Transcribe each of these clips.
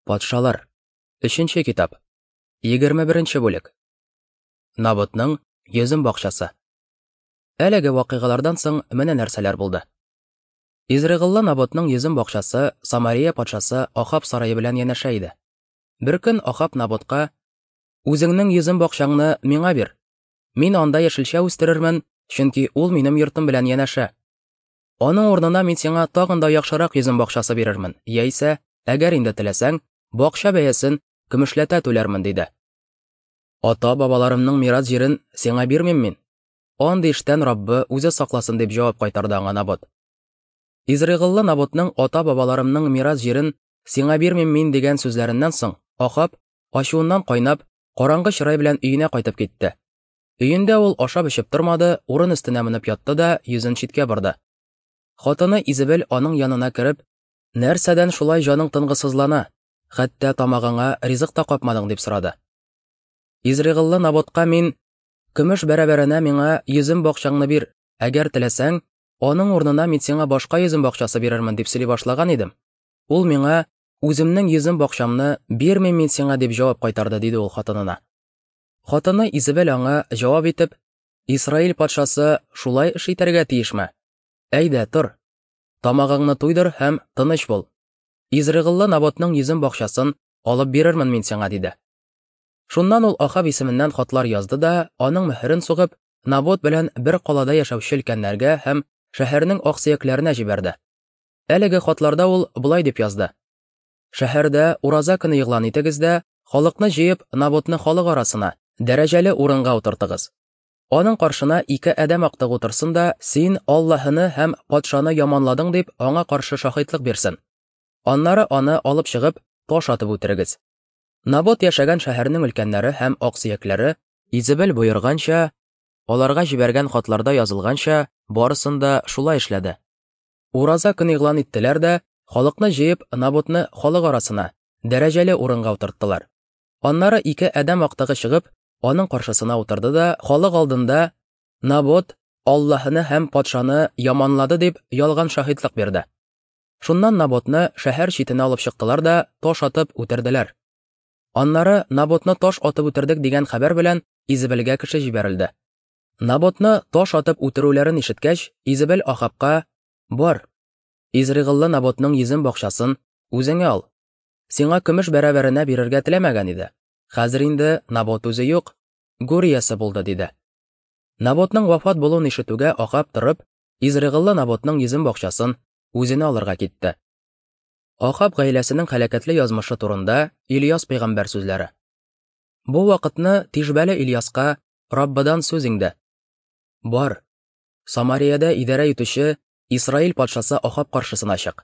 Патшалар. Өченче китап. 21 бүлек. Наботның йөзем бакчасы. Әлеге вакыйгалардан соң менә нәрсәләр булды. Изрыгыллы Наботның йөзем бакчасы Самария патшасы Ахаб сарае белән янәшә иде. Беркөн Ахаб Наботка: "Үзеңнең йөзем бакчаңны миңа бир. Мин анда яшелчә үстерермен, чөнки ул минем йортым белән янәшә. Аның урынына мин сиңа тагын да яхшырак йөзем бакчасы бирермен, яисә, әгәр инде теләсәң, бакча бәясен көмешләтә түләрмен, диде. Ата-бабаларымның мирас җирен сиңа бирмим мин. Андый эштән Раббы үзе сакласын, дип җавап кайтарды аңа Набот. Изрыгыллы Наботның ата-бабаларымның мирас җирен сиңа бирмим мин дигән сүзләреннән соң, Ахаб, ачуыннан кайнап, караңгы чырай белән өенә кайтып китте. Өендә ул ашап-эчеп тормады, урын өстенә менеп ятты да йөзен читкә борды. Хатыны Изебел аның янына кереп, Нәрсәдән шулай җаның тынгысызлана, хәтта тамагыңа ризык та капмадың, дип сорады. Изрыгыллы Наботка мин, көмеш бәрабәренә миңа йөзем бакчаңны бир, әгәр теләсәң, аның урынына мин сиңа башка йөзем бакчасы бирермен, дип сөйли башлаган идем. Ул миңа, үземнең йөзем бакчамны бирмим мин сиңа, дип җавап кайтарды, диде ул хатынына. Хатыны Изебел аңа җавап итеп, Исраил патшасы шулай эш итәргә тиешме? Әйдә, тор. Тамагыңны туйдыр һәм тыныч бул. Изрыгыллы Наботның йөзем бакчасын алып бирермен мин сиңа, диде. Шуннан ул Ахаб исеменнән хатлар язды да, аның мөһерен сугып, Набот белән бер калада яшәүче өлкәннәргә һәм шәһәрнең аксөякләренә җибәрде. Әлеге хатларда ул болай дип язды: Шәһәрдә ураза көне игълан итегез дә, халыкны җыеп, Наботны халык арасына, дәрәҗәле урынга утыртыгыз. Аның каршына ике адәм актыгы утырсын да, син Аллаһыны һәм патшаны яманладың дип, аңа каршы шаһитлык бирсен. Аннары аны алып чыгып, таш атып үтерегез. Набот яшәгән шәһәрнең өлкәннәре һәм аксөякләре, Изебел боерганча, аларга җибәргән хатларда язылганча, барысын да шулай эшләде. Ураза көн игълан иттеләр дә, халыкны җыеп, Наботны халык арасына, дәрәҗәле урынга утырттылар. Аннары ике адәм актыгы чыгып, аның каршысына утырды да, халык алдында Набот Аллаһыны һәм патшаны яманлады дип ялган шаһитлык бирде. Шуннан Наботны шәһәр читенә алып чыктылар да, таш атып үтерделәр. Аннары Наботны таш атып үтердек дигән хәбәр белән Изебелгә кеше җибәрелде. Наботны таш атып үтерүләрен ишеткәч, Изебел Ахабка, Бар, Изрыгыллы Наботның йөзем бакчасын үзеңә ал. Сиңа көмеш бәрабәренә бирергә теләмәгән иде. Хәзер инде Набот үзе юк, гүр иясе булды, диде. Наботның вафат булуын ишетүгә Ахаб торып, Изрыгыллы Наботның йөзем бакчасын үзенә алырга китте. Ахаб гаиләсенең һәлакәтле язмышы турында Ильяс пәйгамбәр сүзләре. Бу вакытны Тишбәле Ильяска Раббыдан сүз иңде. Бар, Самариядә идарә итүче Исраил патшасы Ахаб каршысына чык.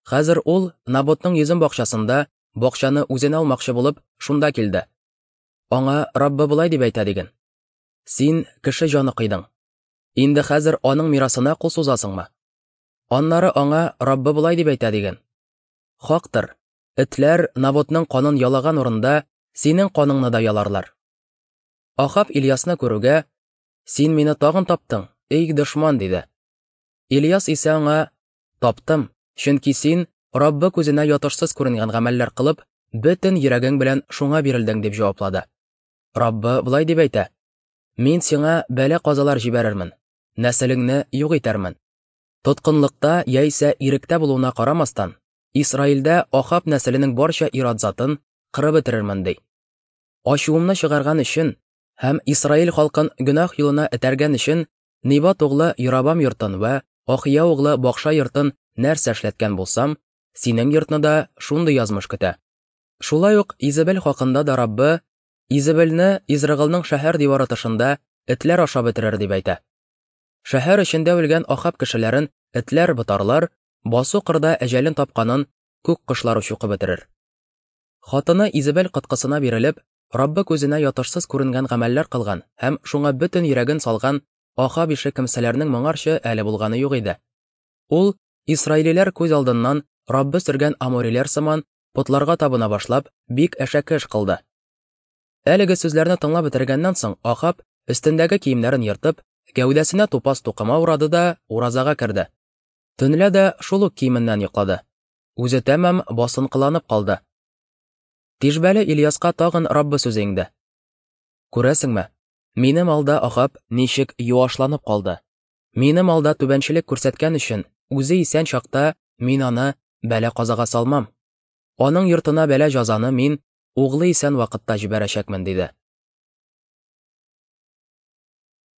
Хәзер ул Наботның йөзем бакчасында бакчаны үзенә алмакчы булып, шунда килде. Аңа Раббы болай дип әйтә диген. Син кеше җаны кыйдың. Инде хәзер аның мирасына кул сузасыңмы? Аннары аңа Раббы болай дип әйтә диген. Хактыр, этләр Наботның канын ялаган урында синең каныңны да яларлар. Ахаб Ильясны күрүгә, "Син мине тагын таптың, эй дошман", диде. Ильяс исә аңа, "Таптым, чөнки син Раббы күзенә ятышсыз күренгән гамәлләр кылып, бөтен йөрәгең белән шуңа бирелдең", дип җаваплады. Раббы болай дип әйтә: "Мин сиңа бәла-казалар җибәрермен, нәселеңне юк итәрмен. Тоткынлыкта яисә иректә булуына карамастан, Исраилдә Ахаб нәселенең барча ир-ат затын кырып бетерермен", ди. Ачуымны чыгарган өчен һәм Исраил халкын гөнаһ юлына этәргән өчен Нибат углы Йорабам йортын вә Ахия углы Бакша йортын нәрсә эшләткән булсам, синең йортны да шундый язмыш көтә. Шулай ук Изебел хакында да Раббы Изебелне Изрыгылның шәһәр дивары тышында этләр ашап бетерер дип әйтә. Шәһәр эчендә үлгән Ахаб кешеләрен этләр ботарлар, басу-кырда әҗәлен тапканын күк кошлары чукып бетерер. Хатыны Изебел коткысына бирелеп, Раббы күзенә ятышсыз күренгән гамәлләр кылган һәм шуңа бөтен йөрәген салган Ахаб ише кемсәләрнең моңарчы әле булганы юк иде. Ул, исраилиләр күз алдыннан Раббы сөргән амориләр сыман, потларга табына башлап, бик әшәке эш кылды. Әлеге сүзләрне тыңлап бетергәннән соң, Ахаб, өстендәге киемнәрен ертып, гәүдәсенә тупас тукыма урады да уразага керде. Төнлә дә шул ук киеменнән йоклады. Үзе тәмам басынкыланып калды. Тишбәле Ильяска тагын Раббы сүзе иңде. Күрәсеңме, минем алда Ахаб ничек юашланып калды. Минем алда түбәнчелек күрсәткән өчен, үзе исән чакта мин аны бәла-казага салмам. Аның йортына бәла-җазаны мин углы исән вакытта җибәрәчәкмен, диде.